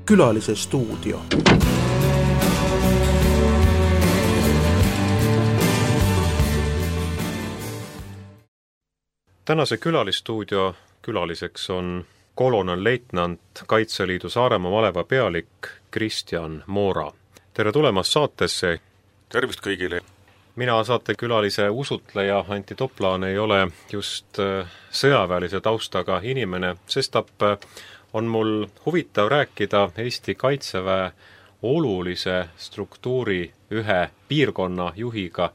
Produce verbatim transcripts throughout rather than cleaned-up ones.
Külalise stuudio. Tänase külalistuudio külaliseks on kolonelleitnant Kaitseliidu Saaremaa maleva pealik Kristjan Moora. Tere tulemast saatesse! Tervist kõigile! Mina saatekülalise usutleja Antti Toplaan ei ole just sõjaväelise taustaga inimene, sestap on mul huvitav rääkida Eesti Kaitseväe olulise struktuuri ühe piirkonna juhiga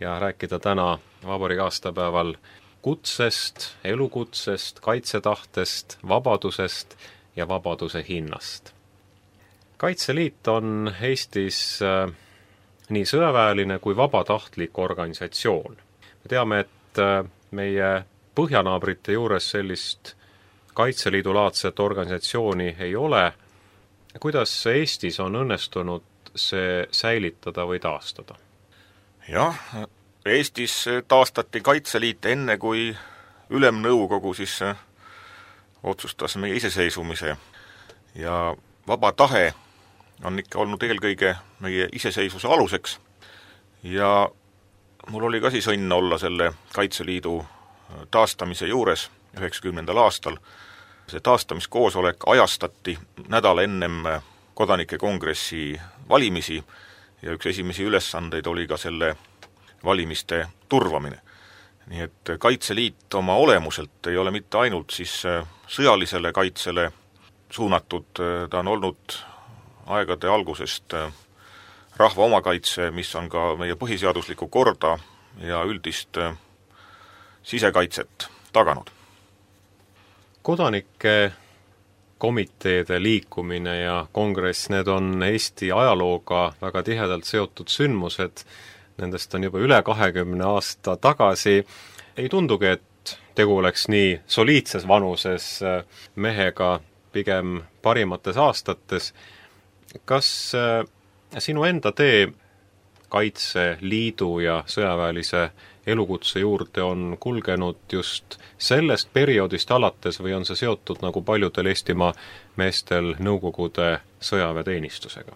ja rääkida täna vabariigi aastapäeval kutsest, elukutsest, kaitsetahtest, vabadusest ja vabaduse hinnast. Kaitseliit on Eestis äh, nii sõjaväeline kui vabatahtlik organisatsioon. Me teame, et äh, meie põhjanaabrite juures sellist Kaitseliidu-laadset organisatsiooni ei ole. Kuidas Eestis on õnnestunud see säilitada või taastada? Jah, Eestis taastati Kaitseliit enne, kui Ülemnõukogu siis otsustas meie iseseisvumise ja vaba tahe on ikka olnud eelkõige meie iseseisvuse aluseks ja mul oli ka siis õnn olla selle Kaitseliidu taastamise juures üheksakümnendal aastal. See taastamiskoosolek ajastati nädal ennem kodanike kongressi valimisi ja üks esimesi ülesandeid oli ka selle valimiste turvamine. Nii et Kaitseliit oma olemuselt ei ole mitte ainult siis sõjalisele kaitsele suunatud, ta on olnud aegade algusest rahva omakaitse, mis on ka meie põhiseaduslikku korda ja üldist sisekaitset taganud. Kodanike komiteede liikumine ja kongress, need on Eesti ajalooga väga tihedalt seotud sündmused. Nendest on juba üle kahekümne aasta tagasi. Ei tundugi, et tegu oleks nii soliidses vanuses mehega, pigem parimates aastates. Kas sinu enda tee Kaitseliidu ja sõjaväelise elukutse juurde on kulgenud just sellest perioodist alates või on see seotud nagu paljudel Eestimaa meestel Nõukogude sõjaväeteenistusega?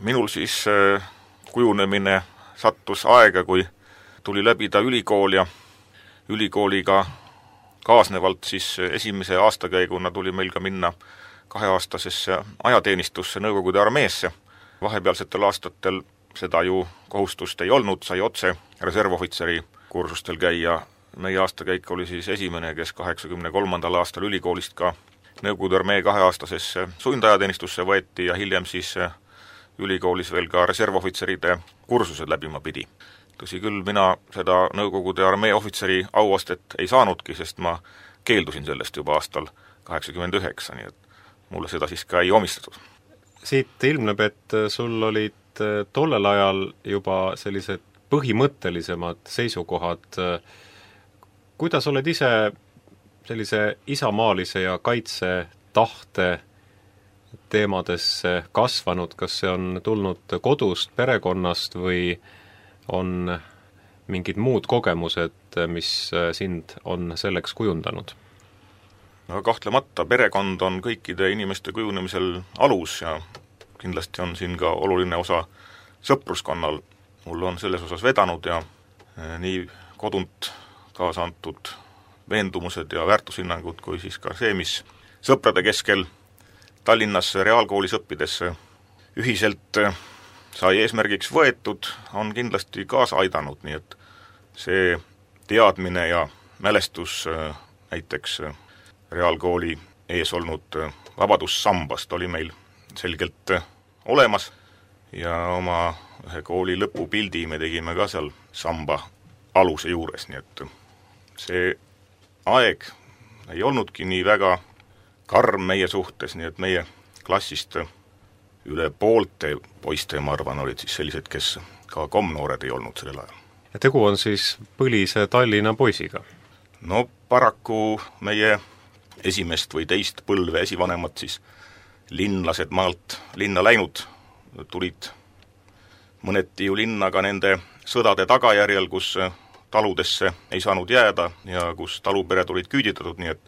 Minul siis kujunemine sattus aega, kui tuli läbida ülikool ja ülikooliga kaasnevalt siis esimese aastakäiguna tuli meil ka minna kaheaastasesse ajateenistusse Nõukogude armeesse. Vahepealsetel aastatel seda ju kohustust ei olnud, sai otse reservohvitseri kursustel käia. Meie aastakäik oli siis esimene, kes kaheksakümne kolmandal aastal ülikoolist ka Nõukogude armee kaheaastasesse sundajateenistusse võeti ja hiljem siis ülikoolis veel ka reservohvitseride kursused läbima pidi. Tõsi küll, mina seda Nõukogude armee ohvitseri auastet ei saanudki, sest ma keeldusin sellest juba aastal kaheksakümmend üheksa, nii et mulle seda siis ka ei omistatud. Siit ilmneb, et sul olid tollel ajal juba sellised põhimõttelisemad seisukohad. Kuidas oled ise sellise isamaalise ja kaitsetahte teemadesse kasvanud, kas see on tulnud kodust, perekonnast või on mingid muud kogemused, mis sind on selleks kujundanud? No kahtlemata perekond on kõikide inimeste kujunemisel alus ja kindlasti on siin ka oluline osa sõpruskonnal. Mul on selles osas vedanud ja nii kodunt kaasa antud veendumused ja väärtushinnangud kui siis ka see, mis sõprade keskel Tallinnas reaalkoolis õppides ühiselt sai eesmärgiks võetud, on kindlasti kaasa aidanud, nii et see teadmine ja mälestus näiteks reaalkooli ees olnud vabadussambast oli meil selgelt olemas ja oma ühe kooli lõpupildi me tegime ka seal samba aluse juures, nii et see aeg ei olnudki nii väga karm meie suhtes, nii et meie klassist üle poolte poiste, ma arvan, olid siis sellised, kes ka komnoored ei olnud sellel ajal. Ja tegu on siis põlise Tallinna poisiga? No paraku meie esimest või teist põlve esivanemad siis linlased maalt linna läinud tulid mõneti ju linna ka nende sõdade tagajärjel, kus taludesse ei saanud jääda ja kus talupered olid küüditatud, nii et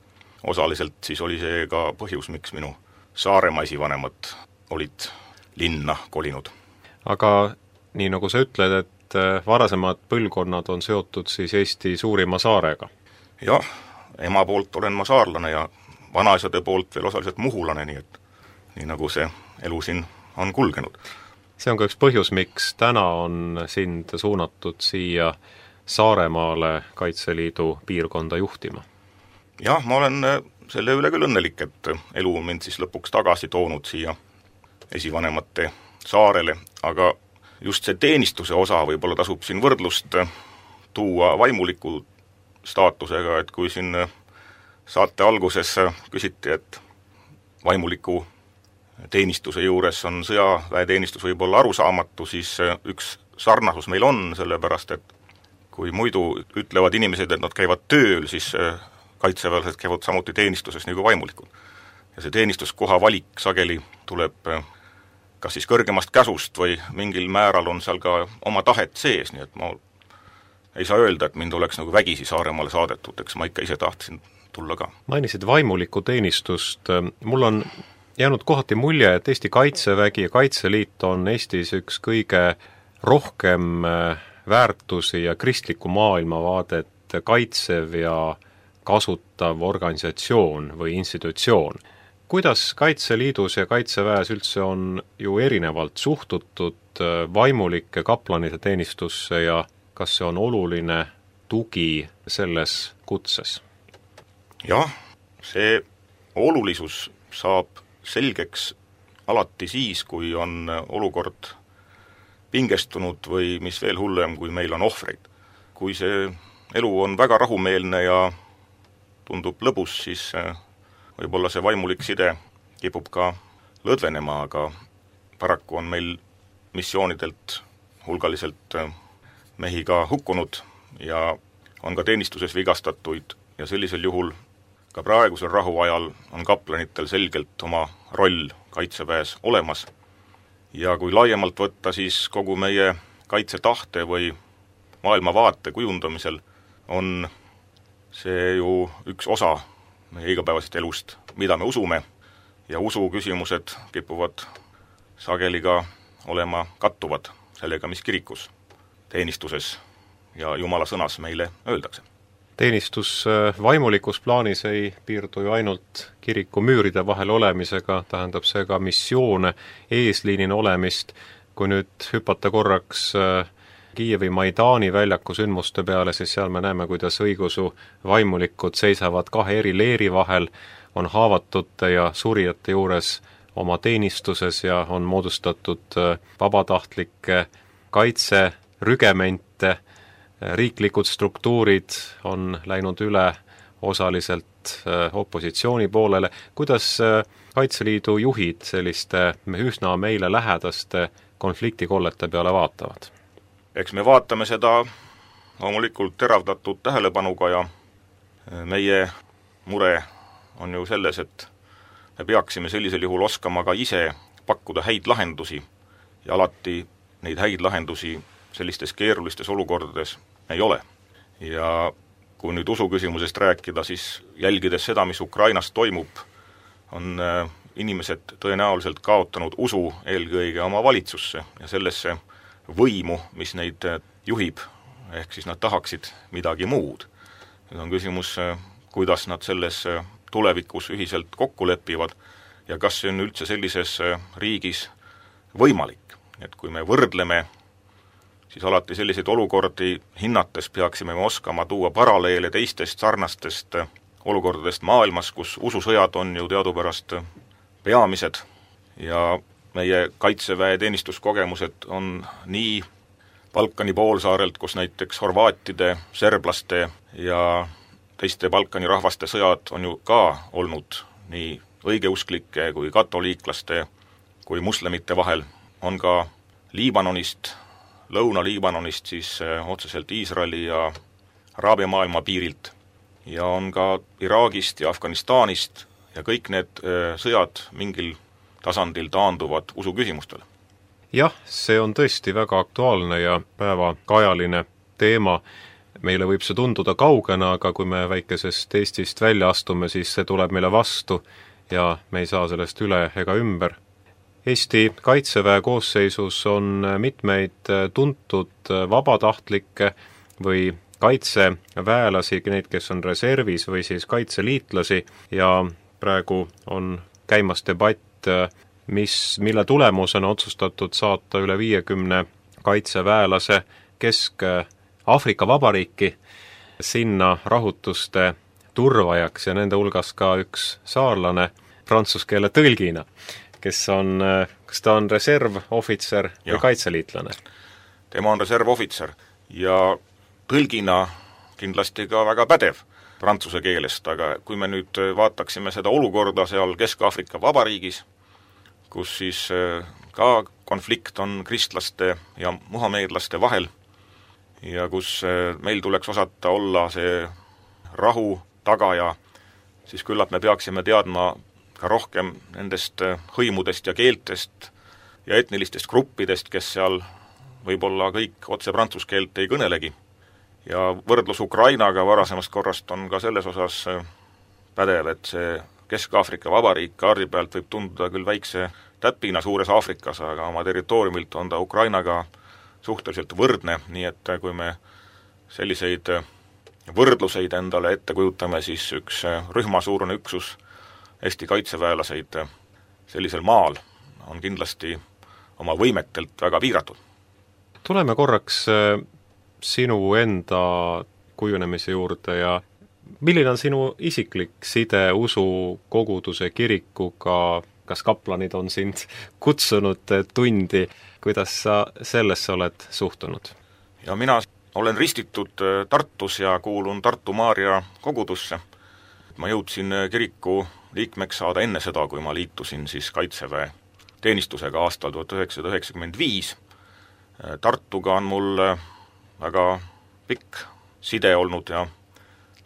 osaliselt siis oli see ka põhjus, miks minu Saaremaa esivanemad olid linna kolinud. Aga nii nagu sa ütled, et varasemad põlvkonnad on seotud siis Eesti suurima saarega? Jah, ema poolt olen ma saarlane ja vanaisade poolt veel osaliselt muhulane, nii et nii nagu see elu siin on kulgenud. See on ka üks põhjus, miks täna on sind suunatud siia Saaremaale Kaitseliidu piirkonda juhtima? Jah, ma olen selle üle küll õnnelik, et elu on mind siis lõpuks tagasi toonud siia esivanemate saarele, aga just see teenistuse osa võib-olla tasub siin võrdlust tuua vaimuliku staatusega, et kui siin saate alguses küsiti, et vaimuliku teenistuse juures on sõjaväeteenistus võib-olla arusaamatu, siis üks sarnasus meil on, sellepärast et kui muidu ütlevad inimesed, et nad käivad tööl, siis kaitseväelased käivad samuti teenistuses nagu vaimulikud. Ja see teenistuskoha valik sageli tuleb kas siis kõrgemast käsust või mingil määral on seal ka oma tahet sees, nii et ma ei saa öelda, et mind oleks nagu vägisi Saaremaale saadetud, eks ma ikka ise tahtsin tulla ka. Mainisid vaimuliku teenistust, mul on jäänud kohati mulje, et Eesti Kaitsevägi ja Kaitseliit on Eestis üks kõige rohkem väärtusi ja kristliku maailmavaadet kaitsev ja kasutav organisatsioon või institutsioon. Kuidas Kaitseliidus ja Kaitseväes üldse on ju erinevalt suhtutud vaimulike kaplanide teenistusse ja kas see on oluline tugi selles kutses? Jah, see olulisus saab selgeks alati siis, kui on olukord pingestunud või mis veel hullem, kui meil on ohvreid. Kui see elu on väga rahumeelne ja tundub lõbus, siis võib-olla see vaimulik side kipub ka lõdvenema, aga paraku on meil missioonidelt hulgaliselt mehi ka hukkunud ja on ka teenistuses vigastatuid ja sellisel juhul ka praegusel rahuajal on kaplanitel selgelt oma roll kaitseväes olemas. Ja kui laiemalt võtta, siis kogu meie kaitsetahte või maailmavaate kujundamisel on see ju üks osa meie igapäevasest elust, mida me usume, ja usu küsimused kipuvad sageli ka olema kattuvad sellega, mis kirikus, teenistuses ja Jumala sõnas meile öeldakse. Teenistus vaimulikus plaanis ei piirdu ju ainult kiriku müüride vahel olemisega, tähendab see ka missioone, eesliinina olemist. Kui nüüd hüpata korraks Kiievi Maidani väljaku sündmuste peale, siis seal me näeme, kuidas õigusu vaimulikud seisavad kahe eri leeri vahel, on haavatute ja surijate juures oma teenistuses ja on moodustatud vabatahtlikke kaitserügemente, riiklikud struktuurid on läinud üle osaliselt opositsiooni poolele. Kuidas Kaitseliidu juhid selliste üsna meile lähedaste konfliktikollete peale vaatavad? Eks me vaatame seda loomulikult teravdatud tähelepanuga ja meie mure on ju selles, et me peaksime sellisel juhul oskama ka ise pakkuda häid lahendusi ja alati neid häid lahendusi sellistes keerulistes olukordades ei ole. Ja kui nüüd usuküsimusest rääkida, siis jälgides seda, mis Ukrainas toimub, on inimesed tõenäoliselt kaotanud usu eelkõige oma valitsusse ja sellesse võimu, mis neid juhib, ehk siis nad tahaksid midagi muud. Nüüd on küsimus, kuidas nad selles tulevikus ühiselt kokku lepivad ja kas see on üldse sellises riigis võimalik. Et kui me võrdleme, siis alati selliseid olukordi hinnates peaksime me oskama tuua paralleele teistest sarnastest olukordadest maailmas, kus ususõjad on ju teadupärast peamised ja meie kaitseväe teenistuskogemused on nii Balkani poolsaarelt, kus näiteks horvaatide, serblaste ja teiste Balkani rahvaste sõjad on ju ka olnud nii õigeusklike kui katoliiklaste kui muslimite vahel, on ka Liibanonist, Lõuna-Liibanonist siis otseselt Iisraeli ja Araabia maailma piirilt ja on ka Iraagist ja Afganistanist ja kõik need sõjad mingil tasandil taanduvad usuküsimustele. Jah, see on tõesti väga aktuaalne ja päevakajaline teema. Meile võib see tunduda kaugena, aga kui me väikesest Eestist välja astume, siis see tuleb meile vastu ja me ei saa sellest üle ega ümber. Eesti Kaitseväe koosseisus on mitmeid tuntud vabatahtlikke või kaitseväelasi, neid, kes on reservis või siis kaitseliitlasi ja praegu on käimas debatt, mis, mille tulemusena otsustatud saata üle viiekümne kaitseväelase Kesk-Aafrika Vabariiki sinna rahutuste turvajaks ja nende hulgas ka üks saarlane prantsuse keele tõlgina, kes on, kas ta on reservohvitser või kaitseliitlane? Tema on reservohvitser ja tõlgina kindlasti ka väga pädev prantsuse keelest, aga kui me nüüd vaataksime seda olukorda seal Kesk-Aafrika Vabariigis, kus siis ka konflikt on kristlaste ja muhameedlaste vahel ja kus meil tuleks osata olla see rahu tagaja, siis küllap me peaksime teadma ka rohkem nendest hõimudest ja keeltest ja etnilistest gruppidest, kes seal võib-olla kõik otse prantsuse keelt ei kõnelegi. Ja võrdlus Ukrainaga varasemast korrast on ka selles osas pädev, et see Kesk-Aafrika Vabariik kaardi pealt võib tunduda küll väikse täpina suures Aafrikas, aga oma territooriumilt on ta Ukrainaga suhteliselt võrdne, nii et kui me selliseid võrdluseid endale ette kujutame, siis üks rühmasuurune üksus Eesti kaitseväelaseid sellisel maal on kindlasti oma võimetelt väga piiratud. Tuleme korraks sinu enda kujunemise juurde ja milline on sinu isiklik side usu koguduse kirikuga, kas kaplanid on sind kutsunud tundi, kuidas sa sellesse oled suhtunud? Ja mina olen ristitud Tartus ja kuulun Tartu Maarja kogudusse. Ma jõudsin kiriku liikmeks saada enne seda, kui ma liitusin siis kaitseväe teenistusega aastal tuhat üheksasada üheksakümmend viis. Tartuga on mul väga pikk side olnud ja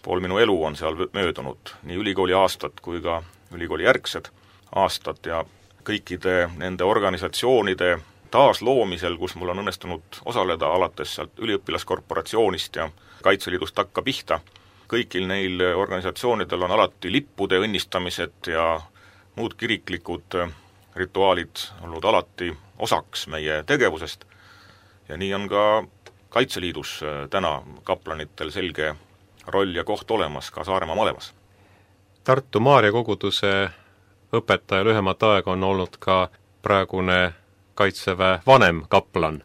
pool minu elu on seal möödunud, nii ülikooli aastad kui ka ülikooli järgsed aastad ja kõikide nende organisatsioonide taasloomisel, kus mul on õnnestunud osaleda alates sealt üliõpilaskorporatsioonist ja Kaitseliidust takka pihta. Kõigil neil organisatsioonidel on alati lippude õnnistamised ja muud kiriklikud rituaalid olnud alati osaks meie tegevusest ja nii on ka Kaitseliidus täna kaplanitel selge roll ja koht olemas ka Saaremaa malevas. Tartu Maarja koguduse õpetaja lühemat aega on olnud ka praegune kaitseväe vanem kaplan,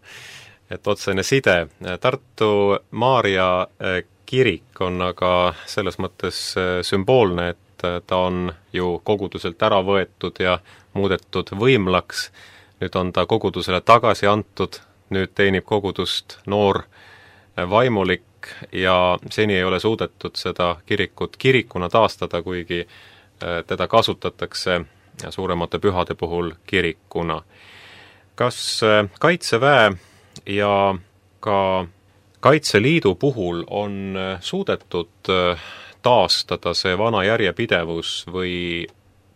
et otsene side. Tartu Maarja kirik on aga selles mõttes sümboolne, et ta on ju koguduselt ära võetud ja muudetud võimlaks, nüüd on ta kogudusele tagasi antud, nüüd teenib kogudust noor vaimulik ja seni ei ole suudetud seda kirikut kirikuna taastada, kuigi teda kasutatakse suuremate pühade puhul kirikuna. Kas Kaitseväe ja ka Kaitseliidu puhul on suudetud taastada see vana järjepidevus või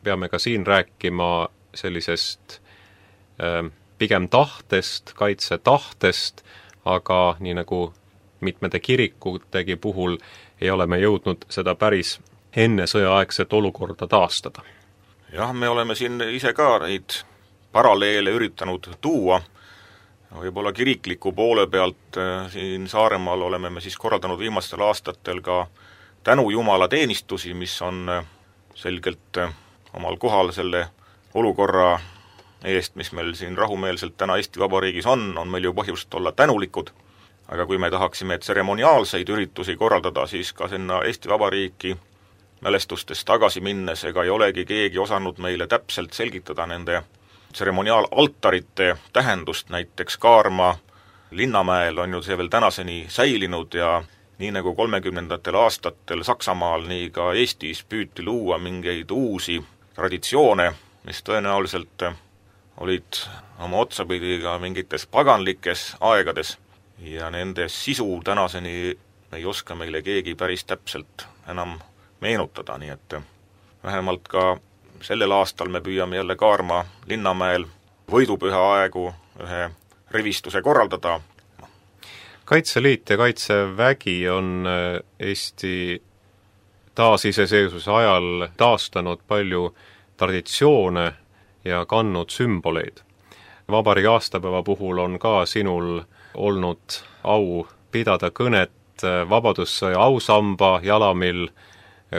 peame ka siin rääkima sellisest pigem tahtest, kaitsetahtest, aga nii nagu mitmete kirikutegi puhul ei ole me jõudnud seda päris enne sõjaaegset olukorda taastada? Jah, me oleme siin ise ka neid paralleele üritanud tuua. Võib-olla kirikliku poole pealt siin Saaremaal oleme me siis korraldanud viimastel aastatel ka tänu Jumala teenistusi, mis on selgelt omal kohal selle olukorra eest, mis meil siin rahumeelselt täna Eesti Vabariigis on, on meil ju põhjust olla tänulikud. Aga kui me tahaksime tseremoniaalseid üritusi korraldada, siis ka sinna Eesti Vabariiki mälestustest tagasi minnes ega ei olegi keegi osanud meile täpselt selgitada nende tseremoniaalaltarite tähendust, näiteks Kaarma Linnamäel on ju see veel tänaseni säilinud ja nii nagu kolmekümnendatel aastatel Saksamaal, nii ka Eestis püüti luua mingeid uusi traditsioone, mis tõenäoliselt olid oma otsapidi ka mingites paganlikes aegades ja nende sisu tänaseni ei oska meile keegi päris täpselt enam meenutada, nii et vähemalt ka sellel aastal me püüame jälle Kaarma Linnamäel võidupüha aegu ühe rivistuse korraldada. Kaitseliit ja Kaitsevägi on Eesti taasiseseisvuse ajal taastanud palju traditsioone ja kandnud sümboleid. Vabariigi aastapäeva puhul on ka sinul olnud au pidada kõnet Vabadussõja ausamba jalamil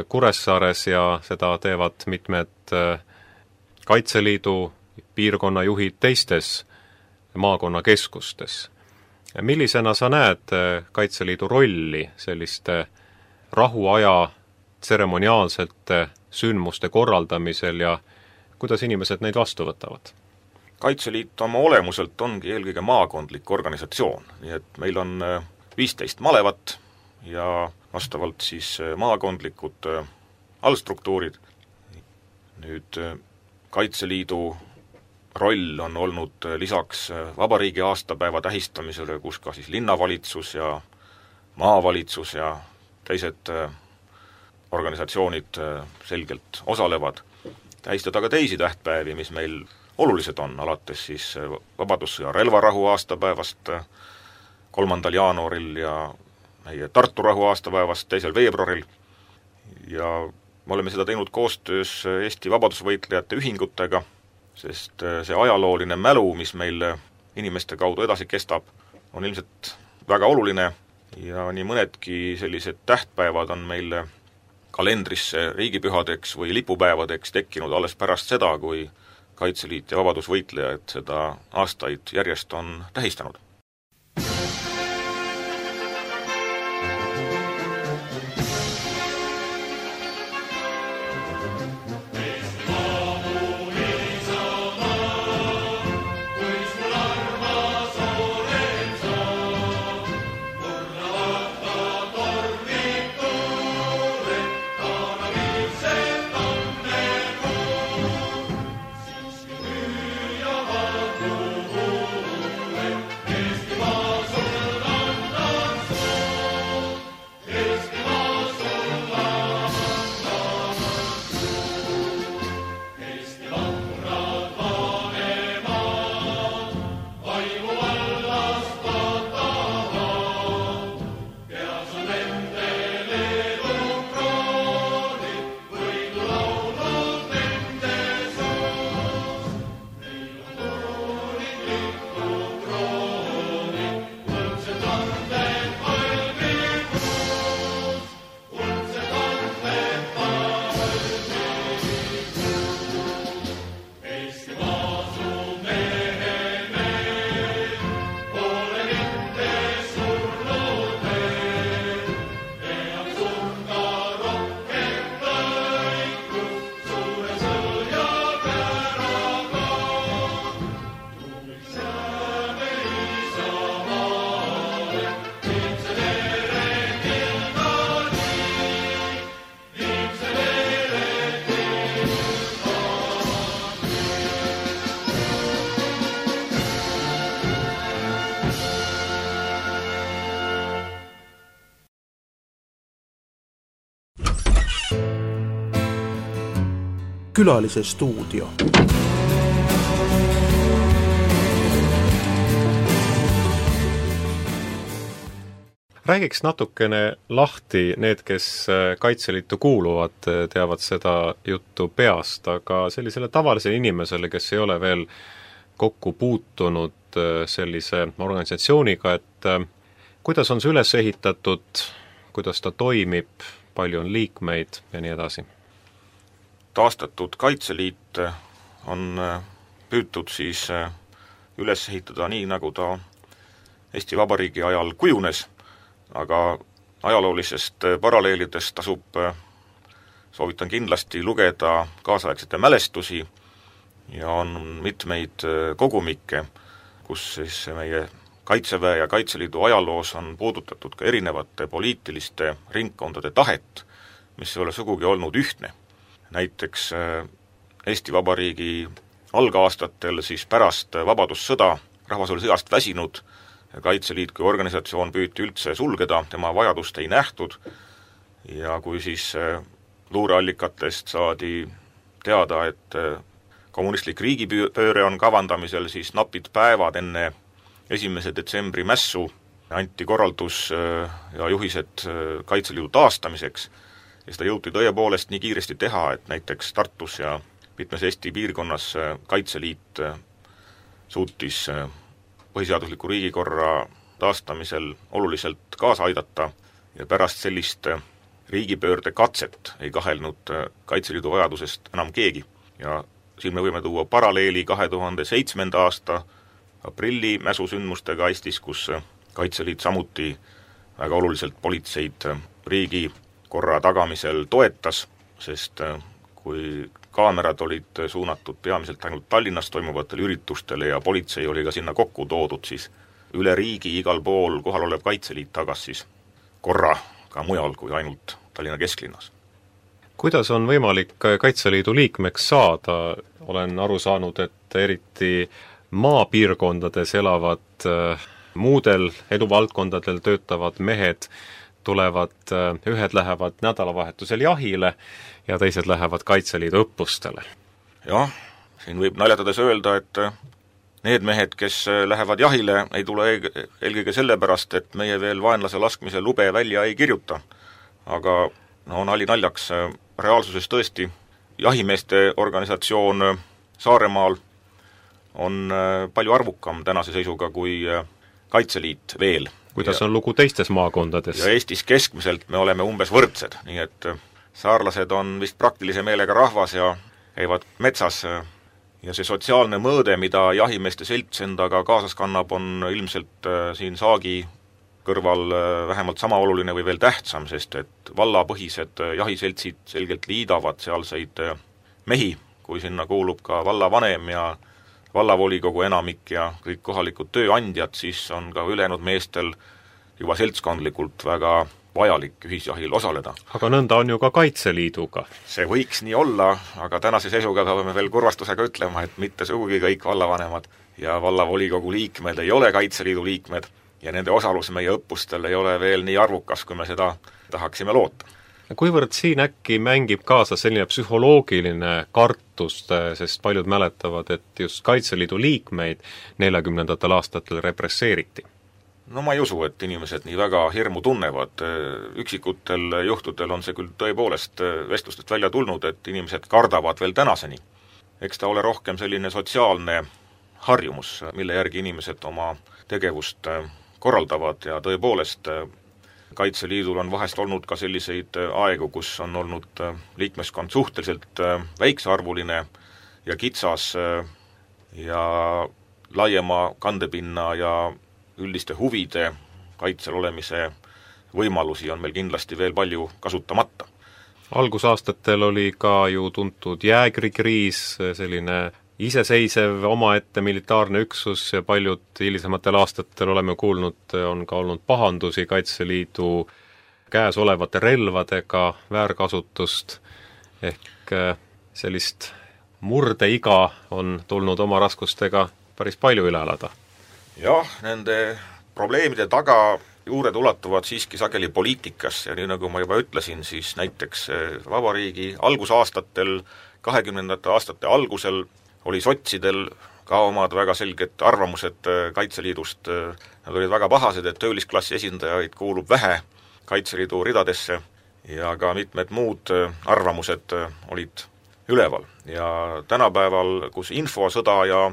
Kuressaares ja seda teevad mitmed Kaitseliidu piirkonnajuhid teistes maakonnakeskustes. Millisena sa näed Kaitseliidu rolli selliste rahuaja tseremoniaalsete sündmuste korraldamisel ja kuidas inimesed neid vastu võtavad? Kaitseliit oma olemuselt ongi eelkõige maakondlik organisatsioon, nii et meil on viisteist malevat ja vastavalt siis maakondlikud allstruktuurid. Nüüd Kaitseliidu roll on olnud lisaks vabariigi aastapäeva tähistamisele, kus ka siis linnavalitsus ja maavalitsus ja teised organisatsioonid selgelt osalevad, tähistada ka teisi tähtpäevi, mis meil olulised on, alates siis Vabadussõja relvarahu aastapäevast kolmandal jaanuaril ja meie Tartu rahu aastapäevast teisel veebruaril. Ja me oleme seda teinud koostöös Eesti vabadusvõitlejate ühingutega, sest see ajalooline mälu, mis meil inimeste kaudu edasi kestab, on ilmselt väga oluline ja nii mõnedki sellised tähtpäevad on meil kalendrisse riigipühadeks või lipupäevadeks tekkinud alles pärast seda, kui Kaitseliit ja vabadusvõitlejad seda aastaid järjest on tähistanud. Külalise stuudio. Räägiks natukene lahti, need, kes Kaitseliitu kuuluvad, teavad seda juttu peast, aga sellisele tavalisele inimesele, kes ei ole veel kokku puutunud sellise organisatsiooniga, et kuidas on see üles ehitatud, kuidas ta toimib, palju on liikmeid ja nii edasi? Taastatud Kaitseliit on püütud siis üles ehitada nii, nagu ta Eesti Vabariigi ajal kujunes, aga ajaloolisest paralleelidest tasub, soovitan kindlasti lugeda kaasaegsete mälestusi ja on mitmeid kogumikke, kus siis meie Kaitseväe ja Kaitseliidu ajaloos on puudutatud ka erinevate poliitiliste ringkondade tahet, mis ei ole sugugi olnud ühtne. Näiteks Eesti Vabariigi algaastatel siis pärast vabadussõda rahvas oli sõjast väsinud, Kaitseliit kui organisatsioon püüti üldse sulgeda, tema vajadust ei nähtud ja kui siis luureallikatest saadi teada, et kommunistlik riigipööre on kavandamisel, siis napid päevad enne esimese detsembri mässu anti korraldus ja juhised Kaitseliidu taastamiseks ja seda jõuti tõepoolest nii kiiresti teha, et näiteks Tartus ja mitmes Eesti piirkonnas Kaitseliit suutis põhiseadusliku riigikorra taastamisel oluliselt kaasa aidata ja pärast sellist riigipöörde katset ei kahelnud Kaitseliidu vajadusest enam keegi. Ja siin me võime tuua paralleeli kahe tuhande seitsmenda aasta aprilli mäsusündmustega Eestis, kus Kaitseliit samuti väga oluliselt politseid riigi korra tagamisel toetas, sest kui kaamerad olid suunatud peamiselt ainult Tallinnas toimuvatele üritustele ja politsei oli ka sinna kokku toodud, siis üle riigi igal pool kohal olev Kaitseliit tagas siis korra ka mujal kui ainult Tallinna kesklinnas. Kuidas on võimalik Kaitseliidu liikmeks saada? Olen aru saanud, et eriti maapiirkondades elavad muudel eduvaldkondadel töötavad mehed tulevad, ühed lähevad nädalavahetusel jahile ja teised lähevad Kaitseliidu õppustele. Jah, siin võib naljatades öelda, et need mehed, kes lähevad jahile, ei tule eelkõige sellepärast, et meie veel vaenlase laskmise lube välja ei kirjuta. Aga no nali naljaks, reaalsuses tõesti jahimeeste organisatsioon Saaremaal on palju arvukam tänase seisuga kui Kaitseliit veel. Kuidas on lugu teistes maakondades? Ja Eestis keskmiselt me oleme umbes võrdsed, nii et saarlased on vist praktilise meelega rahvas ja käivad metsas ja see sotsiaalne mõõde, mida jahimeeste selts endaga kaasas kannab, on ilmselt siin saagi kõrval vähemalt sama oluline või veel tähtsam, sest et vallapõhised jahiseltsid selgelt liidavad sealseid mehi, kui sinna kuulub ka vallavanem ja vallavolikogu enamik ja kõik kohalikud tööandjad, siis on ka ülejäänud meestel juba seltskondlikult väga vajalik ühisjahil osaleda. Aga nõnda on ju ka Kaitseliiduga. See võiks nii olla, aga tänase seisuga peame veel kurvastusega ütlema, et mitte sugugi kõik vallavanemad ja vallavolikogu liikmed ei ole Kaitseliidu liikmed ja nende osalus meie õppustel ei ole veel nii arvukas, kui me seda tahaksime loota. Kuivõrd siin äkki mängib kaasa selline psühholoogiline kartus, sest paljud mäletavad, et just Kaitseliidu liikmeid neljakümnendatel aastatel represseeriti? No ma ei usu, et inimesed nii väga hirmu tunnevad. Üksikutel juhtudel on see küll tõepoolest vestlustest välja tulnud, et inimesed kardavad veel tänaseni. Eks ta ole rohkem selline sotsiaalne harjumus, mille järgi inimesed oma tegevust korraldavad ja tõepoolest Kaitseliidul on vahest olnud ka selliseid aegu, kus on olnud liikmeskond suhteliselt väiksearvuline ja kitsas ja laiema kandepinna ja üldiste huvide kaitsel olemise võimalusi on meil kindlasti veel palju kasutamata. Algusaastatel oli ka ju tuntud jäägrikriis, selline iseseisev omaette militaarne üksus ja paljud hilisematel aastatel oleme kuulnud, on ka olnud pahandusi Kaitseliidu käes olevate relvadega, väärkasutust, ehk sellist murdeiga on tulnud oma raskustega päris palju üle elada. Jah, nende probleemide taga juured ulatuvad siiski sageli poliitikas ja nii nagu ma juba ütlesin, siis näiteks vabariigi algusaastatel, kahekümnendate aastate algusel oli sotsidel ka omad väga selged arvamused Kaitseliidust. Nad olid väga pahased, et töölisklassi esindajaid kuulub vähe Kaitseliidu ridadesse ja ka mitmed muud arvamused olid üleval. Ja tänapäeval, kus infosõda ja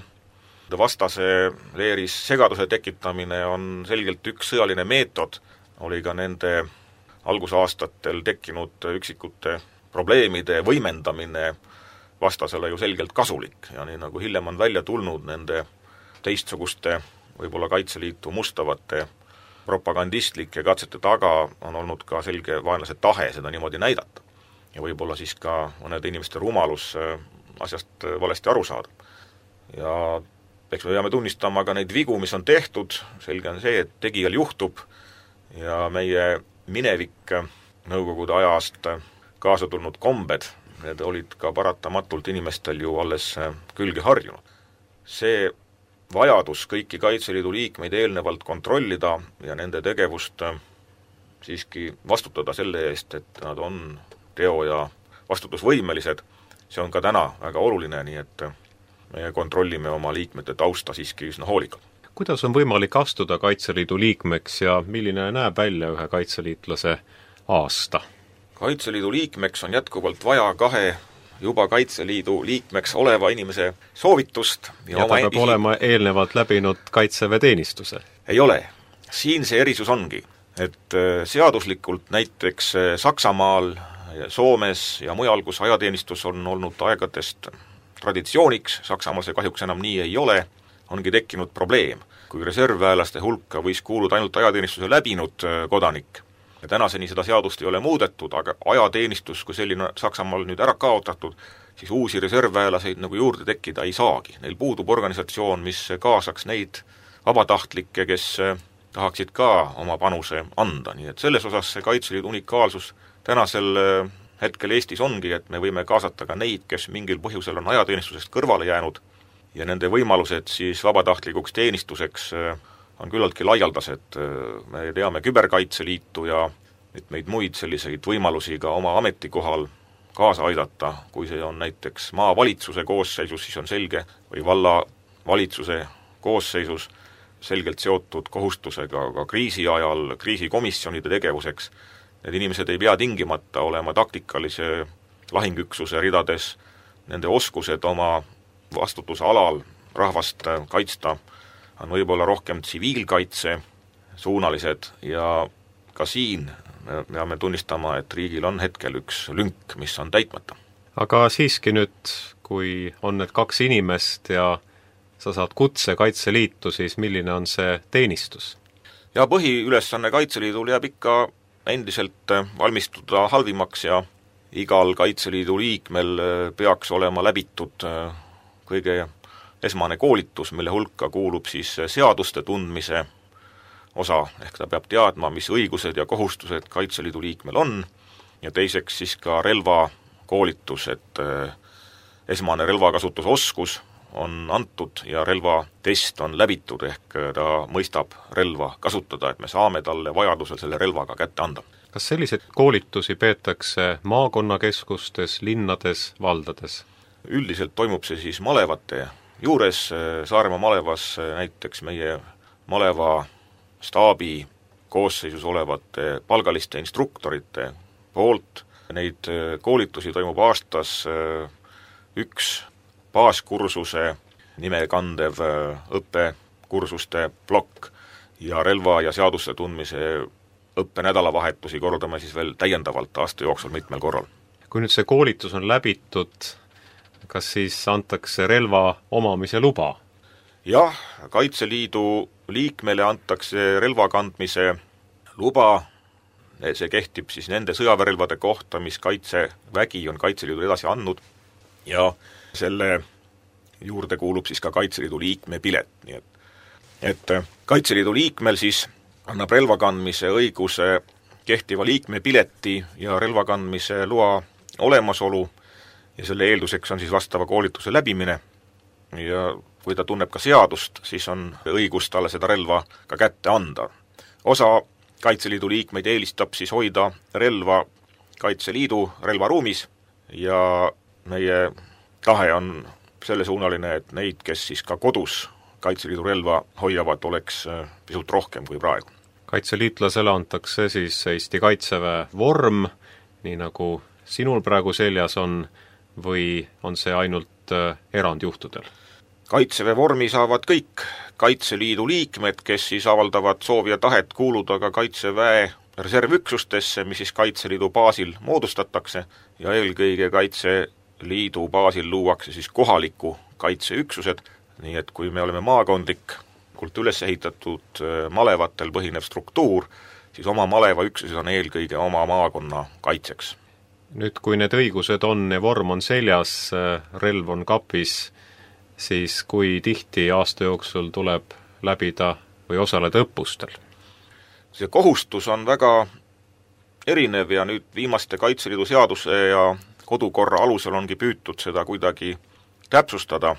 vastase leeris segaduse tekitamine on selgelt üks sõjaline meetod, oli ka nende algusaastatel tekkinud üksikute probleemide võimendamine vastasele ju selgelt kasulik ja nii nagu hiljem on välja tulnud nende teistsuguste võib-olla Kaitseliitu mustavate propagandistlike katsete taga on olnud ka selge vaenlase tahe seda niimoodi näidata ja võib-olla siis ka mõnede inimeste rumalus asjast valesti aru saada. Ja eks me peame tunnistama ka neid vigu, mis on tehtud, selge on see, et tegijal juhtub ja meie minevik nõukogude ajast kaasa tulnud kombed, need olid ka paratamatult inimestel ju alles külge harjunud. See vajadus kõiki Kaitseliidu liikmeid eelnevalt kontrollida ja nende tegevust siiski vastutada selle eest, et nad on teo- ja vastutusvõimelised, see on ka täna väga oluline, nii et me kontrollime oma liikmete tausta siiski üsna hoolikalt. Kuidas on võimalik astuda Kaitseliidu liikmeks ja milline näeb välja ühe kaitseliitlase aasta? Kaitseliidu liikmeks on jätkuvalt vaja kahe juba Kaitseliidu liikmeks oleva inimese soovitust ja, ja ta peab isi... olema eelnevalt läbinud kaitseväeteenistuse? Ei ole. Siin see erisus ongi, et seaduslikult näiteks Saksamaal, Soomes ja mujal, kus ajateenistus on olnud aegadest traditsiooniks, Saksamaal see kahjuks enam nii ei ole, ongi tekkinud probleem. Kui reservväelaste hulka võis kuuluda ainult ajateenistuse läbinud kodanik, ja tänaseni seda seadust ei ole muudetud, aga ajateenistus, kui selline Saksamaal nüüd ära kaotatud, siis uusi reservväelaseid nagu juurde tekkida ei saagi. Neil puudub organisatsioon, mis kaasaks neid vabatahtlikke, kes tahaksid ka oma panuse anda, nii et selles osas see Kaitseliidu unikaalsus tänasel hetkel Eestis ongi, et me võime kaasata ka neid, kes mingil põhjusel on ajateenistusest kõrvale jäänud ja nende võimalused siis vabatahtlikuks teenistuseks on küllaltki laialdased. Me teame Küberkaitseliitu ja mitmeid muid selliseid võimalusi ka oma ametikohal kaasa aidata, kui see on näiteks maavalitsuse koosseisus, siis on selge, või vallavalitsuse koosseisus selgelt seotud kohustusega ka kriisi ajal kriisikomisjonide tegevuseks. Need inimesed ei pea tingimata olema taktikalise lahingüksuse ridades, nende oskused oma vastutuse alal rahvast kaitsta on võib-olla rohkem tsiviilkaitse suunalised ja ka siin me peame tunnistama, et riigil on hetkel üks lünk, mis on täitmata. Aga siiski nüüd, kui on need kaks inimest ja sa saad kutse Kaitseliitu, siis milline on see teenistus? Ja põhiülesanne Kaitseliidul jääb ikka endiselt valmistuda halvimaks ja igal Kaitseliidu liikmel peaks olema läbitud kõige esmane koolitus, mille hulka kuulub siis seaduste tundmise osa, ehk ta peab teadma, mis õigused ja kohustused Kaitseliidu liikmel on, ja teiseks siis ka relvakoolitus, et esmane relvakasutusoskus on antud ja relvatest on läbitud, ehk ta mõistab relva kasutada, et me saame talle vajadusel selle relvaga kätte anda. Kas selliseid koolitusi peetakse maakonnakeskustes, linnades, valdades? Üldiselt toimub see siis malevate juures, Saaremaa malevas näiteks meie maleva staabi koosseisus olevate palgaliste instruktorite poolt. Neid koolitusi toimub aastas üks baaskursuse nime kandev õppekursuste plokk ja relva ja seaduste tundmise õppenädalavahetusi kordame siis veel täiendavalt aasta jooksul mitmel korral. Kui nüüd see koolitus on läbitud, kas siis antakse relva omamise luba? Jah, Kaitseliidu liikmele antakse relva kandmise luba, see kehtib siis nende sõjaväerelvade kohta, mis Kaitsevägi on Kaitseliidu edasi andnud ja selle juurde kuulub siis ka Kaitseliidu liikme pilet, nii et, et Kaitseliidu liikmel siis annab relvakandmise õiguse kehtiva liikme pileti ja relvakandmise loa olemasolu ja selle eelduseks on siis vastava koolituse läbimine ja kui ta tunneb ka seadust, siis on õigus talle seda relva ka kätte anda. Osa Kaitseliidu liikmeid eelistab siis hoida relva Kaitseliidu relvaruumis ja meie tahe on sellesuunaline, et neid, kes siis ka kodus Kaitseliidu relva hoiavad, oleks pisut rohkem kui praegu. Kaitseliitlasele antakse siis Eesti Kaitseväe vorm, nii nagu sinul praegu seljas on, või on see ainult erandjuhtudel? Kaitseväe vormi saavad kõik Kaitseliidu liikmed, kes siis avaldavad soovi ja tahet kuuluda ka Kaitseväe reservüksustesse, mis siis Kaitseliidu baasil moodustatakse ja eelkõige Kaitseliidu baasil luuakse siis kohaliku kaitseüksused, nii et kui me oleme maakondlikult üles ehitatud malevatel põhinev struktuur, siis oma malevaüksused on eelkõige oma maakonna kaitseks. Nüüd, kui need õigused on ja vorm on seljas, relv on kapis, siis kui tihti aasta jooksul tuleb läbida või osaleda õppustel? See kohustus on väga erinev ja nüüd viimaste Kaitseliidu seaduse ja kodukorra alusel ongi püütud seda kuidagi täpsustada.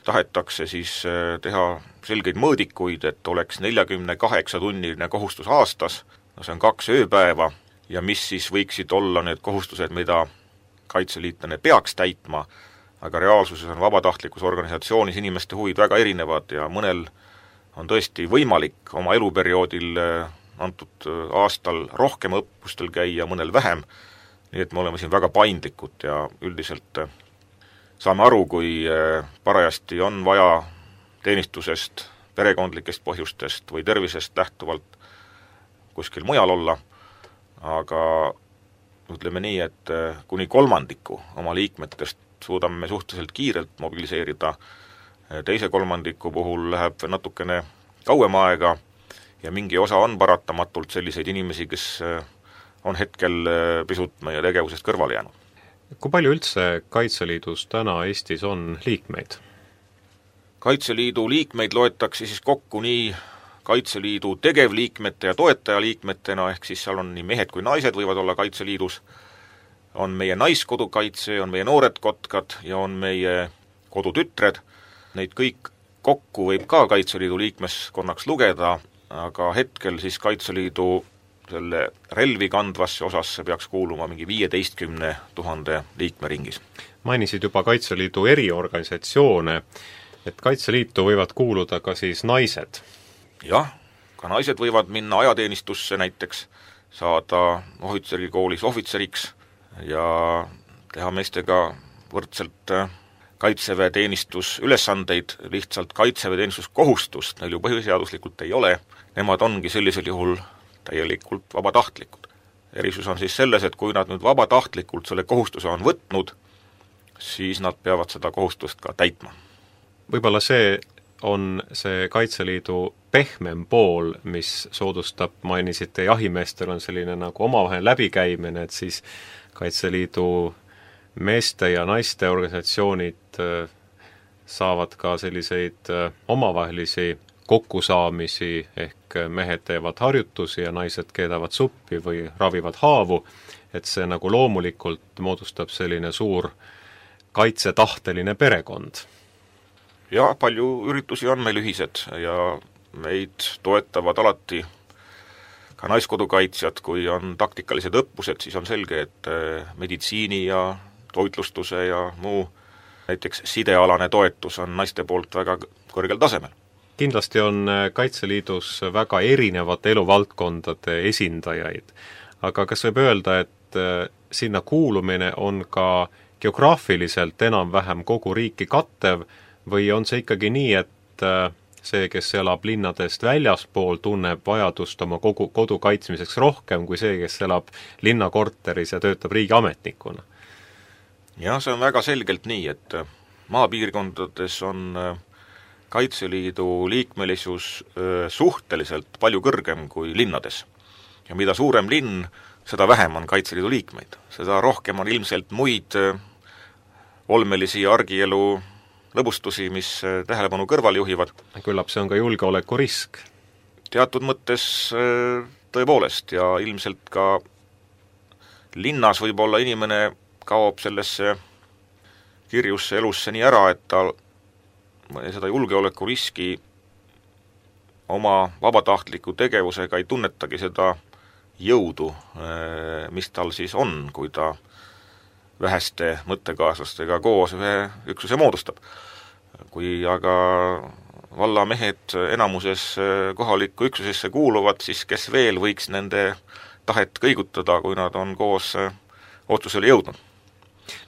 Tahetakse siis teha selgeid mõõdikuid, et oleks neljakümne kaheksa tunniline kohustus aastas, no see on kaks ööpäeva, ja mis siis võiksid olla need kohustused, mida kaitseliitlane peaks täitma, aga reaalsuses on vabatahtlikus organisatsioonis inimeste huvid väga erinevad ja mõnel on tõesti võimalik oma eluperioodil antud aastal rohkem õppustel käia, mõnel vähem, nii et me oleme siin väga paindlikud ja üldiselt saame aru, kui parajasti on vaja teenistusest, perekondlikest põhjustest või tervisest lähtuvalt kuskil mujal olla, aga ütleme nii, et kuni kolmandiku oma liikmetest suudame suhteliselt kiirelt mobiliseerida, teise kolmandiku puhul läheb natukene kauem aega ja mingi osa on paratamatult selliseid inimesi, kes on hetkel pisut meie tegevusest kõrvale jäänud. Kui palju üldse Kaitseliidus täna Eestis on liikmeid? Kaitseliidu liikmeid loetakse siis kokku nii Kaitseliidu tegevliikmete ja toetajaliikmetena, ehk siis seal on nii mehed kui naised võivad olla Kaitseliidus, on meie naiskodukaitse, on meie noored kotkad ja on meie kodutütred. Neid kõik kokku võib ka Kaitseliidu liikmeskonnaks lugeda, aga hetkel siis Kaitseliidu selle relvi kandvasse osasse peaks kuuluma mingi viieteistkümne tuhande liikme ringis. Mainisid juba Kaitseliidu eriorganisatsioone, et Kaitseliitu võivad kuuluda ka siis naised. Jah, ka naised võivad minna ajateenistusse näiteks, saada ohvitserikoolis ohvitseriks ja teha meestega võrdselt Kaitseväe teenistusülesandeid, lihtsalt Kaitseväe teenistuskohustust neil ju põhiseaduslikult ei ole, nemad ongi sellisel juhul täielikult vabatahtlikud. Erisus on siis selles, et kui nad nüüd vabatahtlikult selle kohustuse on võtnud, siis nad peavad seda kohustust ka täitma. Võib-olla see on see Kaitseliidu pehmem pool, mis soodustab, mainisite, jahimeestel on selline nagu omavahel läbikäimine, et siis Kaitseliidu meeste ja naiste organisatsioonid saavad ka selliseid omavahelisi kokkusaamisi, ehk mehed teevad harjutusi ja naised keedavad suppi või ravivad haavu, et see nagu loomulikult moodustab selline suur kaitsetahteline perekond. Ja palju üritusi on meil ühised ja meid toetavad alati ka naiskodukaitsjad, kui on taktikalised õppused, siis on selge, et meditsiini ja toitlustuse ja muu näiteks sidealane toetus on naiste poolt väga kõrgel tasemel. Kindlasti on Kaitseliidus väga erinevate eluvaldkondade esindajaid, aga kas võib öelda, et sinna kuulumine on ka geograafiliselt enam-vähem kogu riiki kattev või on see ikkagi nii, et see, kes elab linnadest väljaspool, tunneb vajadust oma kogu, kodu kaitsmiseks rohkem kui see, kes elab linnakorteris ja töötab riigiametnikuna? Jah, see on väga selgelt nii, et maapiirkondades on Kaitseliidu liikmelisus suhteliselt palju kõrgem kui linnades. Ja mida suurem linn, seda vähem on Kaitseliidu liikmeid. Seda rohkem on ilmselt muid olmelisi argielu lõbustusi, mis tähelepanu kõrval juhivad. Küllap see on ka julgeolekurisk. Teatud mõttes tõepoolest ja ilmselt ka linnas võib-olla inimene kaob sellesse kirjusse elusse nii ära, et ta seda julgeolekuriski oma vabatahtliku tegevusega ei tunnetagi seda jõudu, mis tal siis on, kui ta väheste mõttekaaslastega koos ühe üksuse moodustab. Kui aga vallamehed enamuses kohalikku üksusesse kuuluvad, siis kes veel võiks nende tahet kõigutada, kui nad on koos otsusele jõudnud?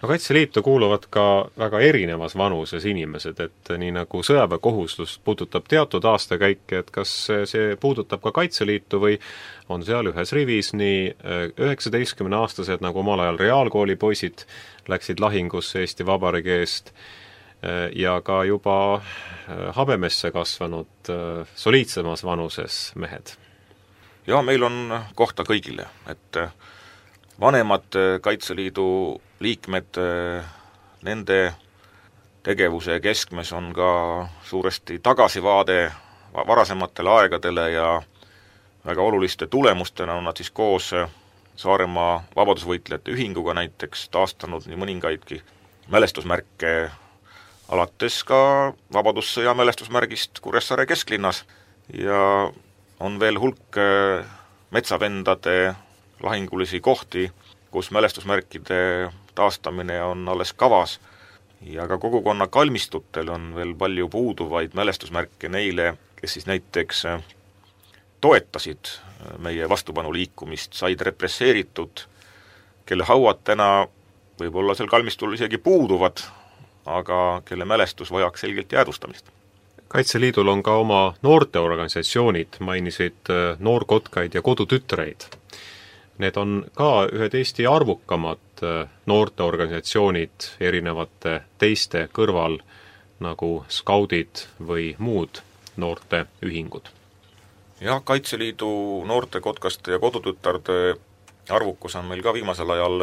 No Kaitseliitu kuuluvad ka väga erinevas vanuses inimesed, et nii nagu sõjaväekohustus puudutab teatud aastakäike, et kas see puudutab ka Kaitseliitu või on seal ühes rivis nii üheksateistkümne aastased, nagu omal ajal reaalkooli poisid läksid lahingusse Eesti Vabariigi eest ja ka juba habemesse kasvanud soliidsemas vanuses mehed? Ja meil on kohta kõigile, et vanemad Kaitseliidu liikmed, nende tegevuse keskmes on ka suuresti tagasivaade varasematele aegadele ja väga oluliste tulemustena on nad siis koos Saaremaa vabadusvõitlejate ühinguga näiteks taastanud nii mõningaidki mälestusmärke, alates ka Vabadussõja mälestusmärgist Kuressaare kesklinnas ja on veel hulk metsavendade lahingulisi kohti, kus mälestusmärkide taastamine on alles kavas ja ka kogukonna kalmistutel on veel palju puuduvaid mälestusmärke neile, kes siis näiteks toetasid meie vastupanuliikumist, said represseeritud, kelle hauad täna võib-olla seal kalmistul isegi puuduvad, aga kelle mälestus vajaks selgelt jäädvustamist. Kaitseliidul on ka oma noorteorganisatsioonid, mainisid noorkotkaid ja kodutütreid. Need on ka ühed Eesti arvukamad noorteorganisatsioonid erinevate teiste kõrval, nagu skaudid või muud noorteühingud. Jah, Kaitseliidu noortekotkaste ja kodutütarde arvukus on meil ka viimasel ajal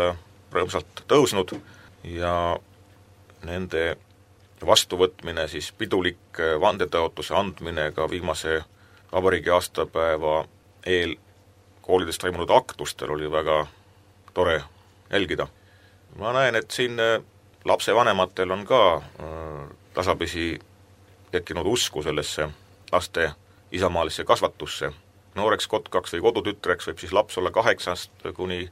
rõõmsalt tõusnud ja nende vastuvõtmine, siis pidulik vandetõotuse andmine ka viimase vabariigi aastapäeva eel koolides toimunud aktustel oli väga tore jälgida. Ma näen, et siin lapsevanematel on ka tasapisi tekkinud usku sellesse laste isamaalisse kasvatusse. Nooreks kotkaks või kodutütreks võib siis laps olla kaheksast kuni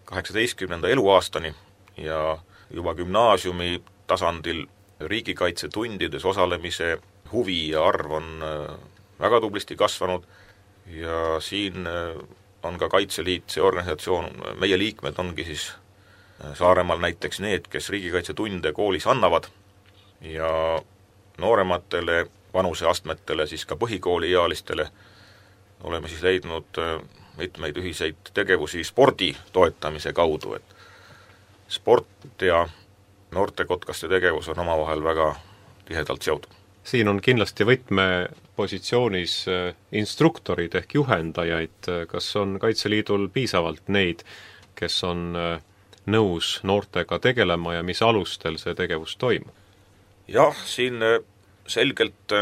kaheksateistkümnenda eluaastani ja juba gümnaasiumi tasandil riigikaitsetundides osalemise huvi ja arv on väga tublisti kasvanud ja siin on ka Kaitseliit, see organisatsioon, meie liikmed ongi siis Saaremaal näiteks need, kes riigikaitsetunde koolis annavad ja noorematele vanuseastmetele, siis ka põhikooliealistele oleme siis leidnud mitmeid ühiseid tegevusi spordi toetamise kaudu, et sport ja noortekotkaste tegevus on omavahel väga tihedalt seotud. Siin on kindlasti võtmepositsioonis instruktorid ehk juhendajaid, kas on Kaitseliidul piisavalt neid, kes on nõus noortega tegelema ja mis alustel see tegevus toimub? Jah, siin selgelt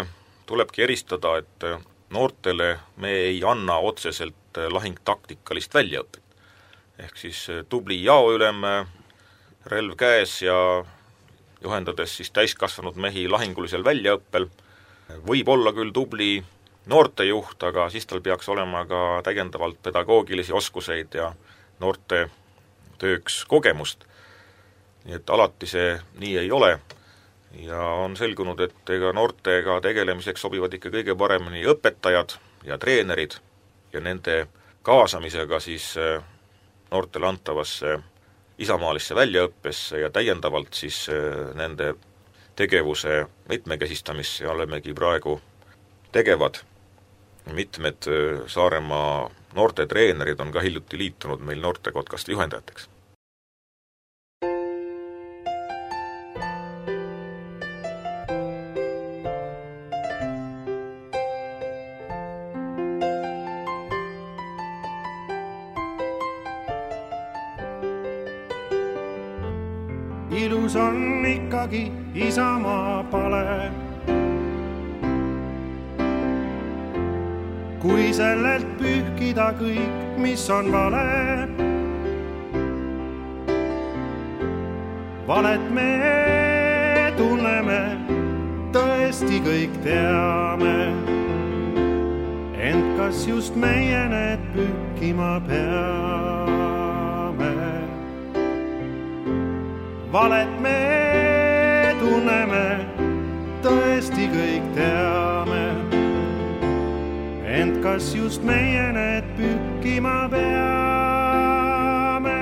tulebki eristada, et noortele me ei anna otseselt lahingtaktikalist väljaõpet. Ehk siis tubli jaoülem, relv käes ja juhendades siis täiskasvanud mehi lahingulisel väljaõppel, võib olla küll tubli noortejuht, aga siis tal peaks olema ka täiendavalt pedagoogilisi oskuseid ja noorte tööks kogemust. Nii et alati see nii ei ole ja on selgunud, et ega noortega tegelemiseks sobivad ikka kõige paremini õpetajad ja treenerid ja nende kaasamisega siis noortele antavasse isamaalisse väljaõppesse ja täiendavalt siis nende tegevuse mitmekesistamisse olemegi praegu tegevad. Mitmed Saaremaa noorte treenerid on ka hiljuti liitunud meil noortekotkaste juhendajateks. Ilus on ikkagi isamaa pale, kui sellelt pühkida kõik, mis on vale. Valet me tunneme, tõesti kõik teame, ent kas just meie need pühkima peame? Valet me tunneme, tõesti kõik teame, ent kas just meie need pühkima peame?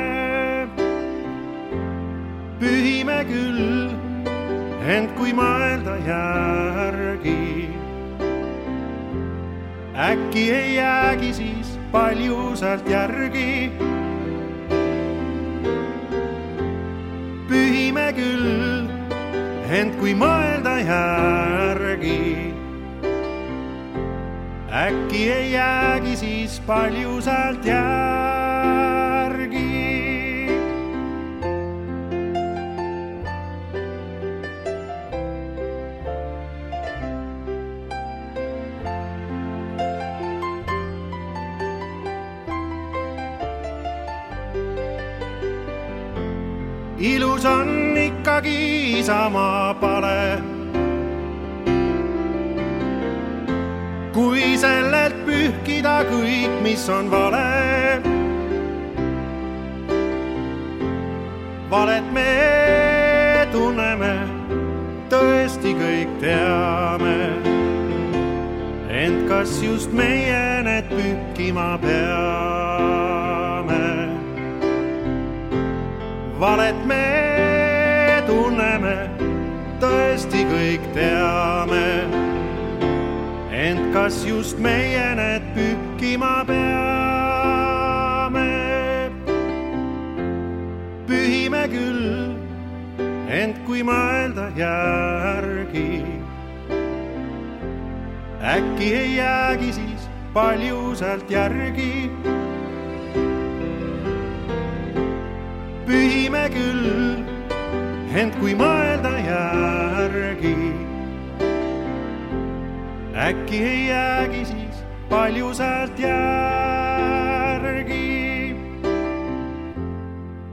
Pühime küll, ent kui mõelda järgi, äkki ei jäägi siis palju sealt järgi. Pühime küll, ent kui mõelda järgi, äkki ei jäägi siis palju sealt järgi. Ilus on ikkagi isamaa pale, kui sellelt pühkida kõik, mis on vale. Valet me tunneme, tõesti kõik teame, ent kas just meie need pühkima peame? valet me tunneme, tõesti kõik teame, ent kas just meie need pühkima peame? Pühime küll, ent kui mõelda järgi, äkki ei jäägi siis palju sealt järgi. Pühime küll, ent kui mõelda järgi, äkki ei jäägi siis palju sealt järgi.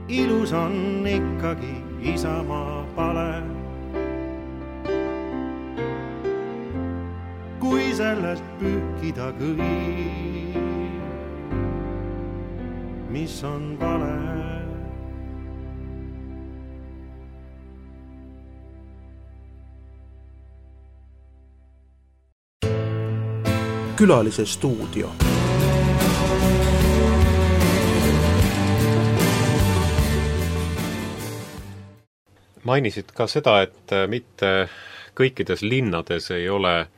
Ilus on ikkagi isamaa pale, kui sellest pühkida kõik, mis on vale. Külalise stuudio. Mainisid ka seda, et mitte kõikides linnades ei ole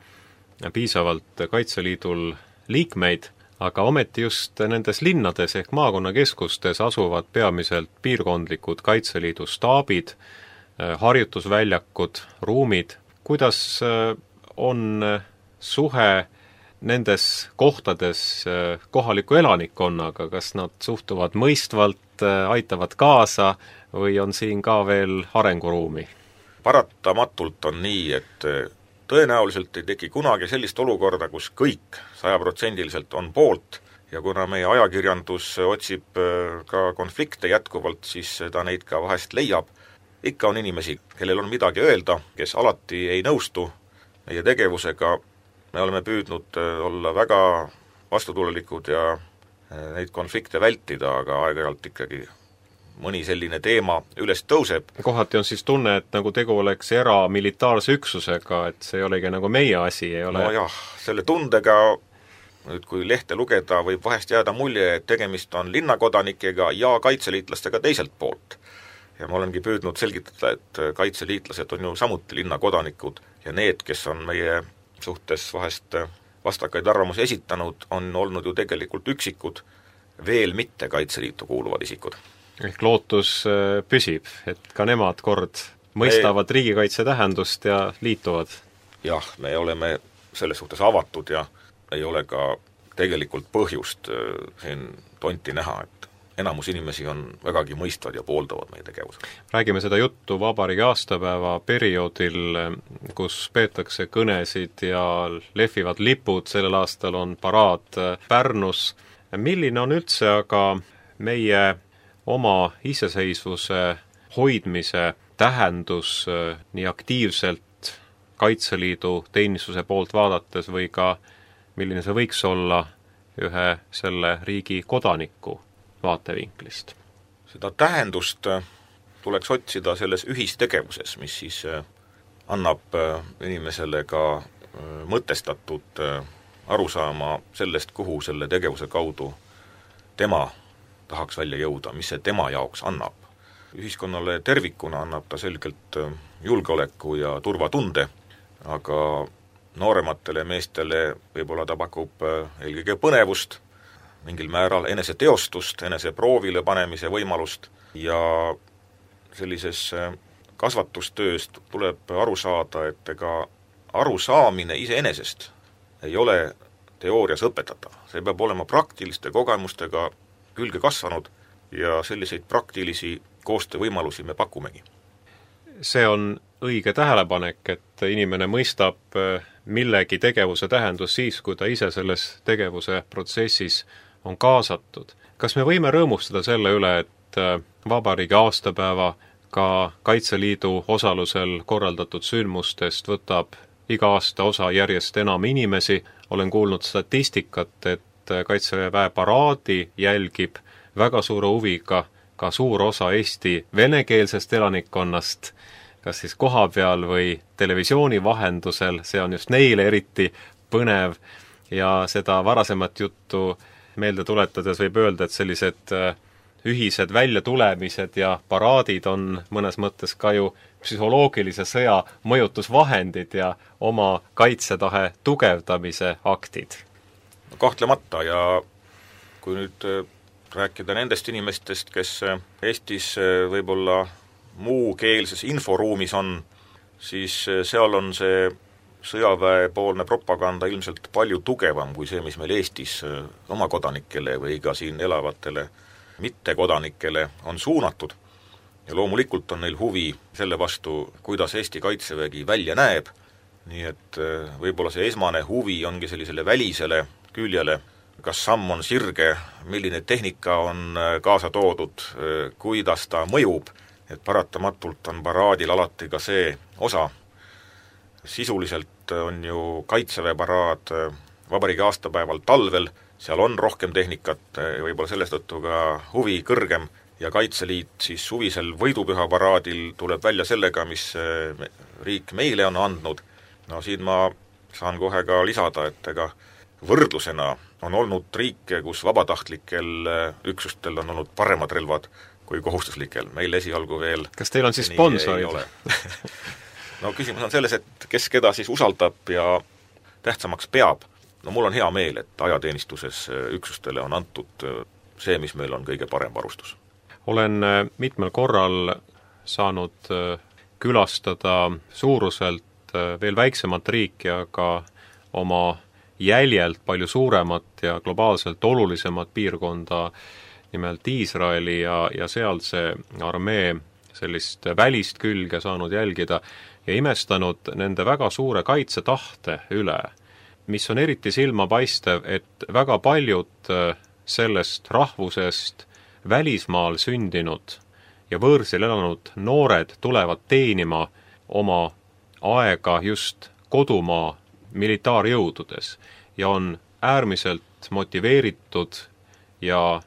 piisavalt Kaitseliidul liikmeid, aga ometi just nendes linnades ehk maakonnakeskustes asuvad peamiselt piirkondlikud Kaitseliidu staabid, harjutusväljakud, ruumid. Kuidas on suhe nendes kohtades kohaliku elanikkonnaga, kas nad suhtuvad mõistvalt, aitavad kaasa või on siin ka veel arenguruumi? Paratamatult on nii, et tõenäoliselt ei teki kunagi sellist olukorda, kus kõik sajaprotsendiliselt on poolt ja kuna meie ajakirjandus otsib ka konflikte jätkuvalt, siis ta neid ka vahest leiab. Ikka on inimesi, kellel on midagi öelda, kes alati ei nõustu meie tegevusega. Me oleme püüdnud olla väga vastutulelikud ja neid konflikte vältida, aga aeg-ajalt ikkagi mõni selline teema üles tõuseb. Kohati on siis tunne, et nagu tegu oleks eramilitaarse üksusega, et see ei olegi nagu meie asi, ei ole? No jah, selle tundega, nüüd kui lehte lugeda, võib vahest jääda mulje, et tegemist on linnakodanikega ja kaitseliitlastega teiselt poolt. Ja ma olengi püüdnud selgitada, et kaitseliitlased on ju samuti linnakodanikud ja need, kes on meie suhtes vahest vastakaid arvamusi esitanud, on olnud ju tegelikult üksikud, veel mitte Kaitseliitu kuuluvad isikud. Ehk lootus püsib, et ka nemad kord mõistavad me... riigikaitse tähendust ja liituvad? Jah, me oleme selles suhtes avatud ja ei ole ka tegelikult põhjust siin tonti näha, et enamus inimesi on vägagi mõistvad ja pooldavad meie tegevusega. Räägime seda juttu vabariigi aastapäeva perioodil, kus peetakse kõnesid ja lehvivad lipud, sellel aastal on paraad Pärnus. Milline on üldse aga meie oma iseseisvuse hoidmise tähendus nii aktiivselt Kaitseliidu teenistuse poolt vaadates või ka milline see võiks olla ühe selle riigi kodaniku vaatevinklist? Seda tähendust tuleks otsida selles ühistegevuses, mis siis annab inimesele ka mõtestatud arusaama sellest, kuhu selle tegevuse kaudu tema tahaks välja jõuda, mis see tema jaoks annab. Ühiskonnale tervikuna annab ta selgelt julgeoleku ja turvatunde, aga noorematele meestele võib-olla ta pakub eelkõige põnevust, mingil määral eneseteostust, enese proovile panemise võimalust ja sellises kasvatustööst tuleb aru saada, et ega arusaamine iseenesest ei ole teoorias õpetatav. See peab olema praktiliste kogemustega külge kasvanud ja selliseid praktilisi koostöövõimalusi me pakumegi. See on õige tähelepanek, et inimene mõistab millegi tegevuse tähendus siis, kui ta ise selles tegevuse protsessis on kaasatud. Kas me võime rõõmustada selle üle, et vabariigi aastapäeva ka Kaitseliidu osalusel korraldatud sündmustest võtab iga aasta osa järjest enam inimesi? Olen kuulnud statistikat, et Kaitseväe paraadi jälgib väga suure huviga ka suur osa Eesti venekeelsest elanikkonnast, kas siis koha peal või televisiooni vahendusel, see on just neile eriti põnev ja seda varasemat juttu meelde tuletades võib öelda, et sellised ühised väljatulemised ja paraadid on mõnes mõttes ka ju psühholoogilise sõja mõjutusvahendid ja oma kaitsetahe tugevdamise aktid. No, kahtlemata, ja kui nüüd rääkida nendest inimestest, kes Eestis võib-olla muukeelses inforuumis on, siis seal on see sõjaväepoolne propaganda ilmselt palju tugevam kui see, mis meil Eestis oma kodanikele või ka siin elavatele mittekodanikele on suunatud. Ja loomulikult on neil huvi selle vastu, kuidas Eesti kaitsevägi välja näeb, nii et võib-olla see esmane huvi ongi sellisele välisele küljele, kas samm on sirge, milline tehnika on kaasa toodud, kuidas ta mõjub, et paratamatult on paraadil alati ka see osa. Sisuliselt on ju kaitseväeparaad vabariigi aastapäeval talvel, seal on rohkem tehnikat, võib-olla sellest tõttu ka huvi kõrgem, ja Kaitseliit siis suvisel võidupüha paraadil tuleb välja sellega, mis riik meile on andnud. No siin ma saan kohe ka lisada, et ega võrdlusena on olnud riike, kus vabatahtlikel üksustel on olnud paremad relvad kui kohustuslikel. Meil esialgu veel... Kas teil on siis sponsorid? No küsimus on selles, et kes keda siis usaldab ja tähtsamaks peab. No mul on hea meel, et ajateenistuses üksustele on antud see, mis meil on kõige parem varustus. Olen mitmel korral saanud külastada suuruselt veel väiksemat riiki, aga oma jäljelt palju suuremat ja globaalselt olulisemat piirkonda, nimelt Iisraeli ja, ja sealse armee sellist välist külge saanud jälgida ja imestanud nende väga suure kaitsetahte üle, mis on eriti silmapaistev, et väga paljud sellest rahvusest välismaal sündinud ja võõrsil elanud noored tulevad teenima oma aega just kodumaa militaarjõududes ja on äärmiselt motiveeritud ja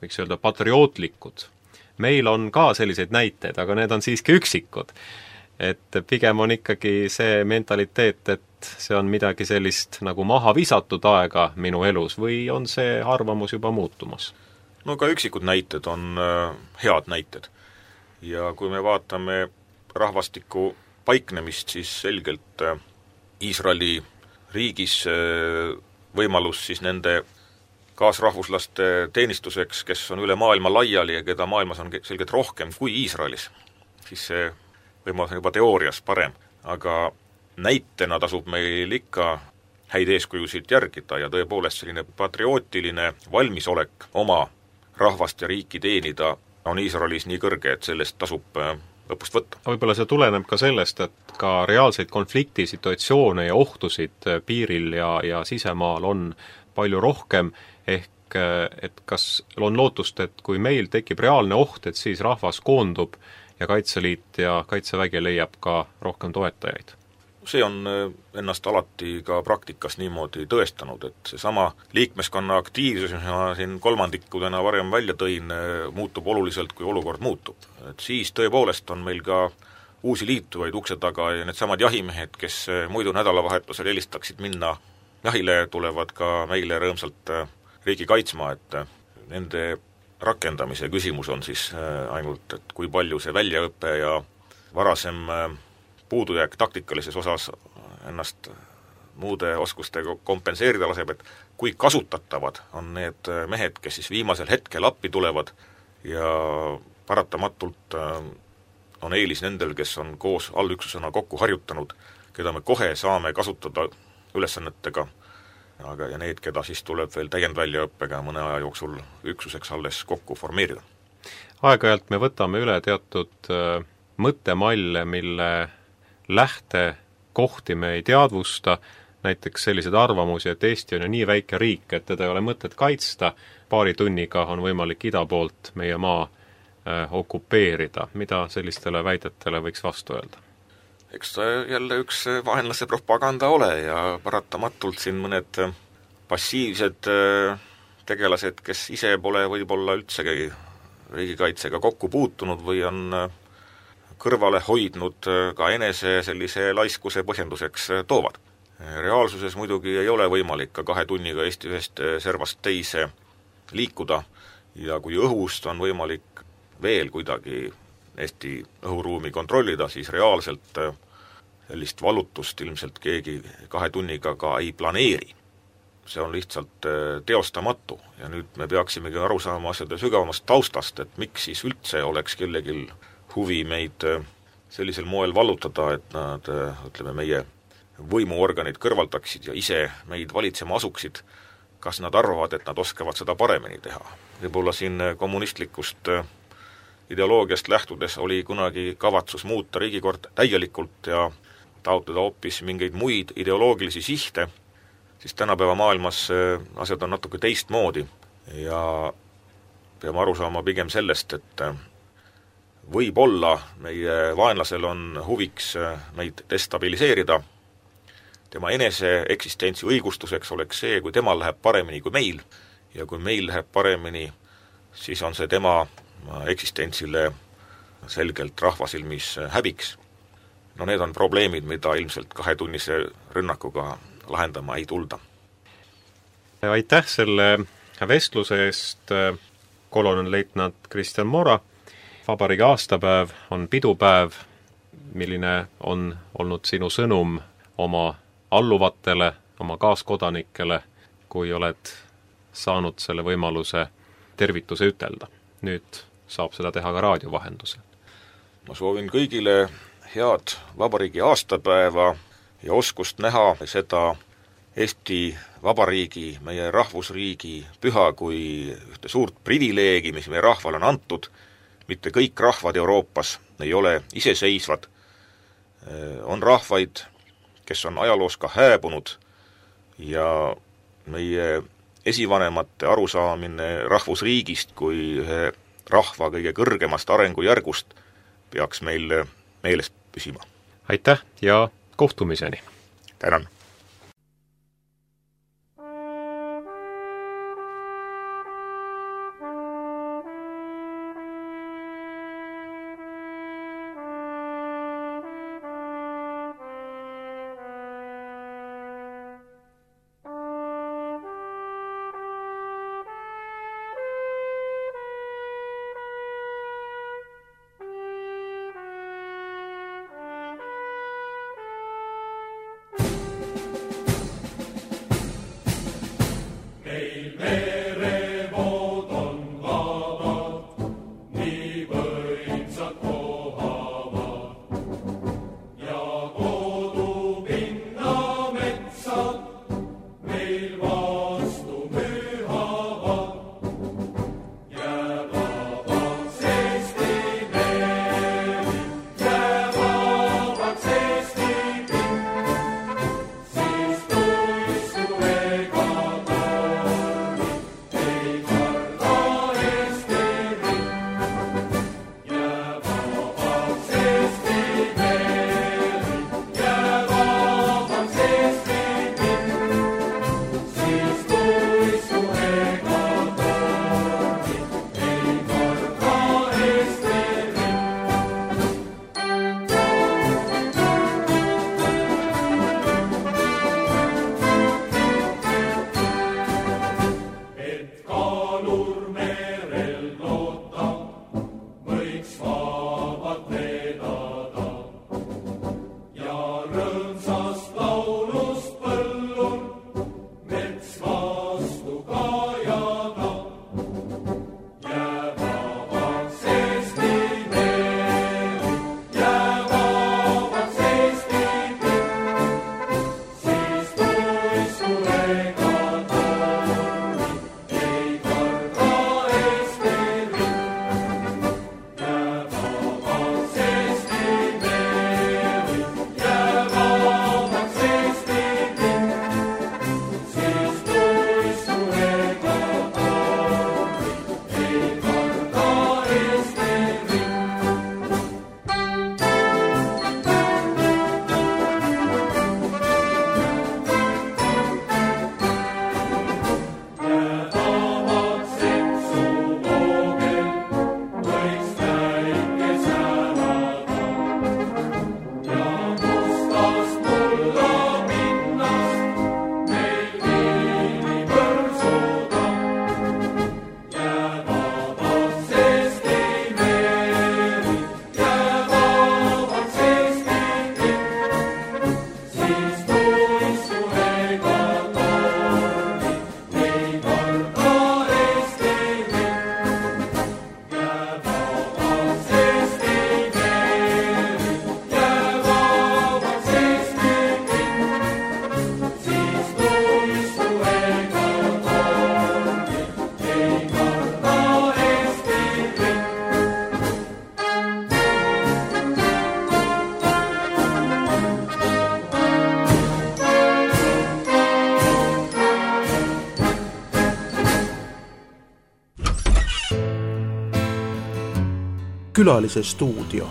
võiks öelda patriootlikud. Meil on ka selliseid näiteid, aga need on siiski üksikud. Et pigem on ikkagi see mentaliteet, et see on midagi sellist nagu maha visatud aega minu elus või on see arvamus juba muutumas? No ka üksikud näited on äh, head näited. Ja kui me vaatame rahvastiku paiknemist, siis selgelt äh, Iisraeli riigis äh, võimalus siis nende kaasrahvuslaste teenistuseks, kes on üle maailma laiali ja keda maailmas on selgelt rohkem kui Iisraelis, siis see võimalus on juba teoorias parem, aga näitena tasub meil ikka häid eeskujusid järgida ja tõepoolest selline patriootiline valmisolek oma rahvast ja riiki teenida on Iisraelis nii kõrge, et sellest tasub õppust võtta. Võib-olla see tuleneb ka sellest, et ka reaalseid konfliktisituatsioone ja ohtusid piiril ja, ja sisemaal on palju rohkem, ehk et kas on lootust, et kui meil tekib reaalne oht, et siis rahvas koondub ja Kaitseliit ja Kaitsevägi leiab ka rohkem toetajaid? See on ennast alati ka praktikas niimoodi tõestanud, et seesama liikmeskonna aktiivsus, mis ma siin kolmandikudena varem välja tõin, muutub oluliselt, kui olukord muutub. Et siis tõepoolest on meil ka uusi liituvaid ukse taga ja need samad jahimehed, kes muidu nädalavahetusel helistaksid minna jahile, tulevad ka meile rõõmsalt riigi kaitsma, et nende rakendamise küsimus on siis ainult, et kui palju see väljaõpe ja varasem puudujääk taktikalises osas ennast muude oskustega kompenseerida laseb, et kui kasutatavad on need mehed, kes siis viimasel hetkel appi tulevad ja paratamatult on eelis nendel, kes on koos allüksusena kokku harjutanud, keda me kohe saame kasutada ülesannetega, aga ja need, keda siis tuleb veel täiendväljaõppega mõne aja jooksul üksuseks alles kokku formeerida. Aeg-ajalt me võtame üle teatud mõttemalle, mille lähtekohti me ei teadvusta, näiteks sellised arvamusi, et Eesti on ju nii väike riik, et teda ei ole mõtet kaitsta, paari tunniga on võimalik ida poolt meie maa äh, okupeerida. Mida sellistele väidetele võiks vastu öelda? Eks ta jälle üks vaenlase propaganda ole ja paratamatult siin mõned passiivsed tegelased, kes ise pole võib-olla üldsegi riigikaitsega kokku puutunud või on kõrvale hoidnud ka enese sellise laiskuse põhjenduseks toovad. Reaalsuses muidugi ei ole võimalik ka kahe tunniga Eesti ühest servast teise liikuda ja kui õhust on võimalik veel kuidagi Eesti õhuruumi kontrollida, siis reaalselt sellist valutust ilmselt keegi kahe tunniga ka ei planeeri. See on lihtsalt teostamatu ja nüüd me peaksimegi aru saama asjade sügavamast taustast, et miks siis üldse oleks kellegil huvi meid sellisel moel vallutada, et nad, ütleme, meie võimuorganid kõrvaldaksid ja ise meid valitsema asuksid, kas nad arvavad, et nad oskavad seda paremini teha. Võib-olla siin kommunistlikust ideoloogiast lähtudes oli kunagi kavatsus muuta riigikord täielikult ja taotleda hoopis mingeid muid ideoloogilisi sihte, siis tänapäeva maailmas asjad on natuke teistmoodi ja peame aru saama pigem sellest, et võib-olla meie vaenlasel on huviks meid destabiliseerida, tema enese eksistentsi õigustuseks oleks see, kui temal läheb paremini kui meil ja kui meil läheb paremini, siis on see tema eksistentsile selgelt rahvasilmis häbiks. No need on probleemid, mida ilmselt kahetunnise rünnakuga lahendama ei tulda. Aitäh selle vestluse eest, kolonelleitnant Kristjan Mora. Vabariigi aastapäev on pidupäev. Milline on olnud sinu sõnum oma alluvatele, oma kaaskodanikele, kui oled saanud selle võimaluse tervituse ütelda? Nüüd saab seda teha ka raadio vahendusel. Ma soovin kõigile head vabariigi aastapäeva ja oskust näha seda Eesti Vabariigi, meie rahvusriigi püha kui ühte suurt privileegi, mis meie rahval on antud. Mitte kõik rahvad Euroopas ei ole iseseisvad. On rahvaid, kes on ajaloos ka hääbunud ja meie esivanemate arusaamine rahvusriigist kui ühe rahva kõige kõrgemast arengujärgust peaks meil meeles püsima. Aitäh ja kohtumiseni! Tänan! Külalise stuudio.